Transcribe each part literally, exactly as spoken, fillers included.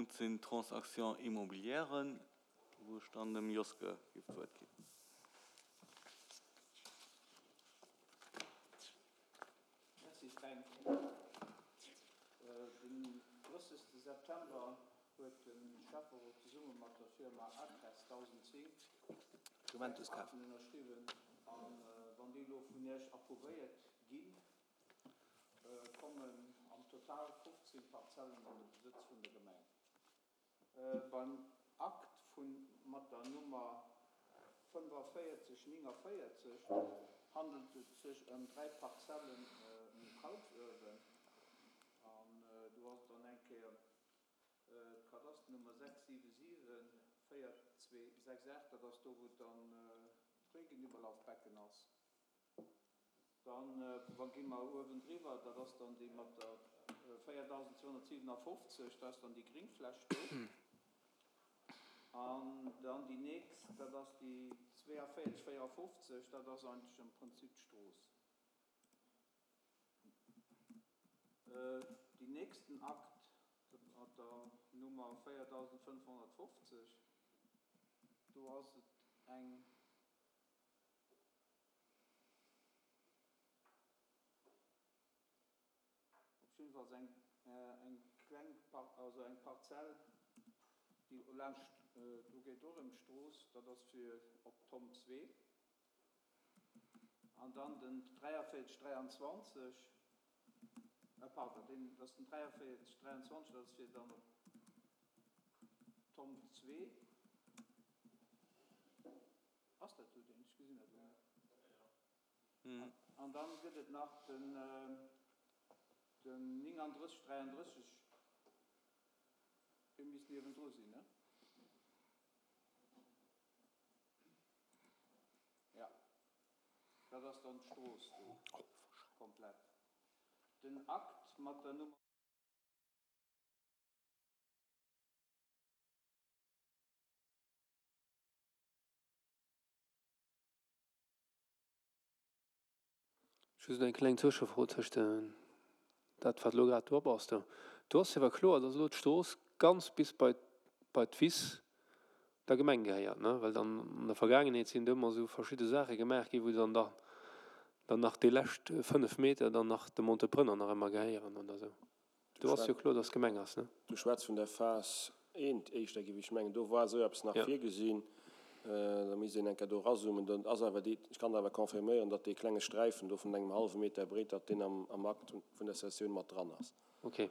Punkt sinn d'Transactions immobilièren, wou ech dann dem Joske géif d'Wuert ginn. Merci Fränk. Den drëssegste September huet de Schäfferot zesumme mat der Firma Acres dausenzéng Juventus dräi kaf. Akten ënnerschriwwen. A wann déi elo vun Iech approuvéiert ginn, kommen am Total fofzéng Parzellen an de Besëtz vun der Gemeng. Beim Akt vun mat der Nummer fënnefavierzeg néngavéierzeg handelt et sech ëm dräi Parzellen um Kalksuewen. An do ass et dann eng Kéier d'Kadasternummer sechs siwe siwe véier zwee sechs aacht, dat ass do, wou dann d'Regenüberlaufbecken ass. Dann wa gi mer uewendriwwer, dat ass dann déi mat der véiertausendzweehonnertsiwenafofzeg, dat ass dann déi Gringfläch do. An dann déi nächst, dat ass déi zweiundvierzig vierundfünfzig, dat ass eigentlech am Prinzip d'Strooss. Déi nächsten Akt mat der Nummer viertausendfünfhundertfünfzig, do ass et eng op jeden Fall eng, eng kleng Par-, also eng Parzell, déi laanscht, do geet och ëm d'Strooss, dat ass fir op Tom zwee. An dann den dräiundvierzig dräiundzwanzig, äh, pardon, den, das ist den dräiundvierzig dräiundzwanzig, das ist fir dann op Tom zwee. Ass dat do den? Ech gesinn dat elo net. Mhm. An dann gëtt et nach den, den neununddreißig dreiunddreißig, dee misst niewendru sinn, ne? Ja, dat ass dann d'Strooss do, komplett. Den Akt mat der Nummer Just eng kleng Zwëschefro tëscht dat, wat elo grad do op ass. Do do ass jo awer kloer, dass elo d'Strooss ganz bis bei bei d'Wiss der Gemeng gehéiert, ne? Well dann an der Vergaangenheet sinn do ëmmer esou verschidde Saache gemaach ginn, wou dann da dann nach déi lescht fënnef Meter dann nach dem Entrepreneur nach ëmmer gehéieren oder esou. Du Do ass jo schwätz, kloer, dass d'Gemeng ass, ne? du schwätz vun der Phas eent éischter, géif ech mengen. Do war esou eppes nach Ja. virgesinn. Da misst een eng Kéier do erazoomen. Dann ass awer déi, ech kann awer confirméieren, datt dee klenge Sträifen do vun engem hallwe Meter breet, datt deen am, am Akt vun der Cessioun mat dran ass. Okay.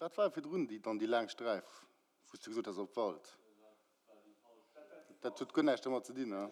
Wat war virdrun déi dann déi laang Sträif, wou s du gesot has op Wald? Dat huet guer näischt domat ze dinn, ne?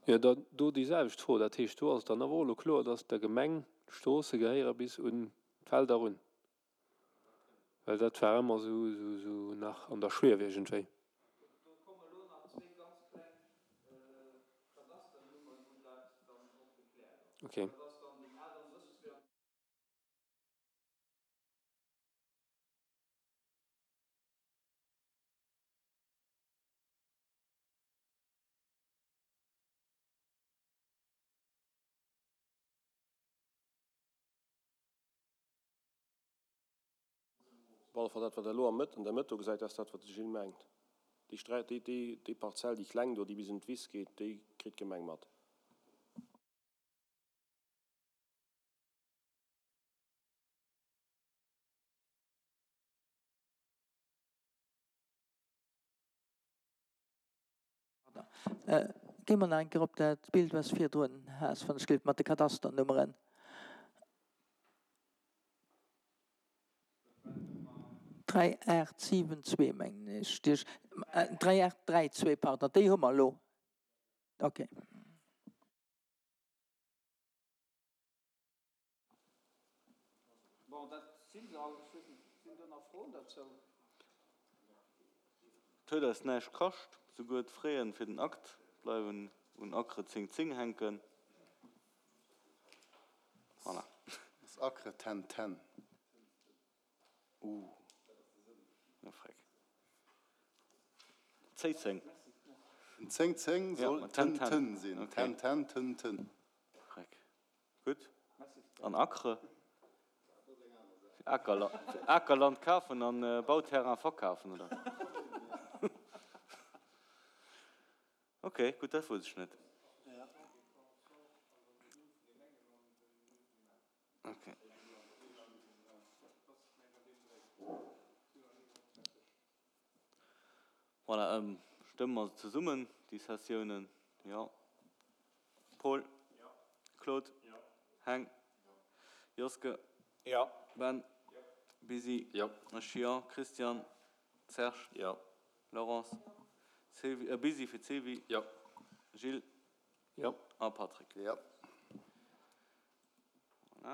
Jo, da do déi selwecht Fro. Dat heescht, do ass et dann awer och elo kloer, dass der Gemeng d'Stroosse gehéiere bis un d'Felder erun. Well dat war ëmmer esou, esou, esou nach an der Schwief iergendwéi. Do komme elo nach zwee ganz kleng Kadasternummeren, wou dat dann och gekläert ass. Okay. Dat ass dann déi achtundrësseg. Op alle Fall dat, wat Der elo am Mëtt, an der Mëtt do gesäit, dat ass dat, wat de Gilles mengt. Déi Sträi, déi, déi, déi Parzell, déi kleng do, déi bis un d'Wiss geet, déi kritt d'Gemeng mat. Gi mer nach eng Kéier op dat Bild, wat s virdrun has, wann ech gelift, mat de Kadasternummeren. Dräi aacht siwen zwee, mengen ech. Dräi aacht dräi zwee, pardon, déi hu mer elo. Okay. Bon, dat si se all. Ech weess net, sinn do nach Froen derzou? Et huet eis näischt kascht, souguer d'Fraien fir den Akt bleiwen un Acre zéng zéng hänken. Voilà. Ass Acre ten ten? Uh, na freck. Zéi zéng. Den zéng zéng Ja, soll ma ten ten ten. ten sinn. Okay. Ten ten ten ten. Freck. Gutt. An Acre? Fir Akerla fir Akerland kafen an Bauterrain verkafen, oder? Okay, gutt, dat wousst ech net. Okay. Voilà, ähm, stëmme mer se zesummen, déi Cessiounen? Jo. Paul? Claude? Heng? Joske? Ben? Busy? Ech jo. Christian? Serge? Laurence? Sylvie, äh, Busy fir d'Sylvie? Gilles? Jo. A Patrick? Jo.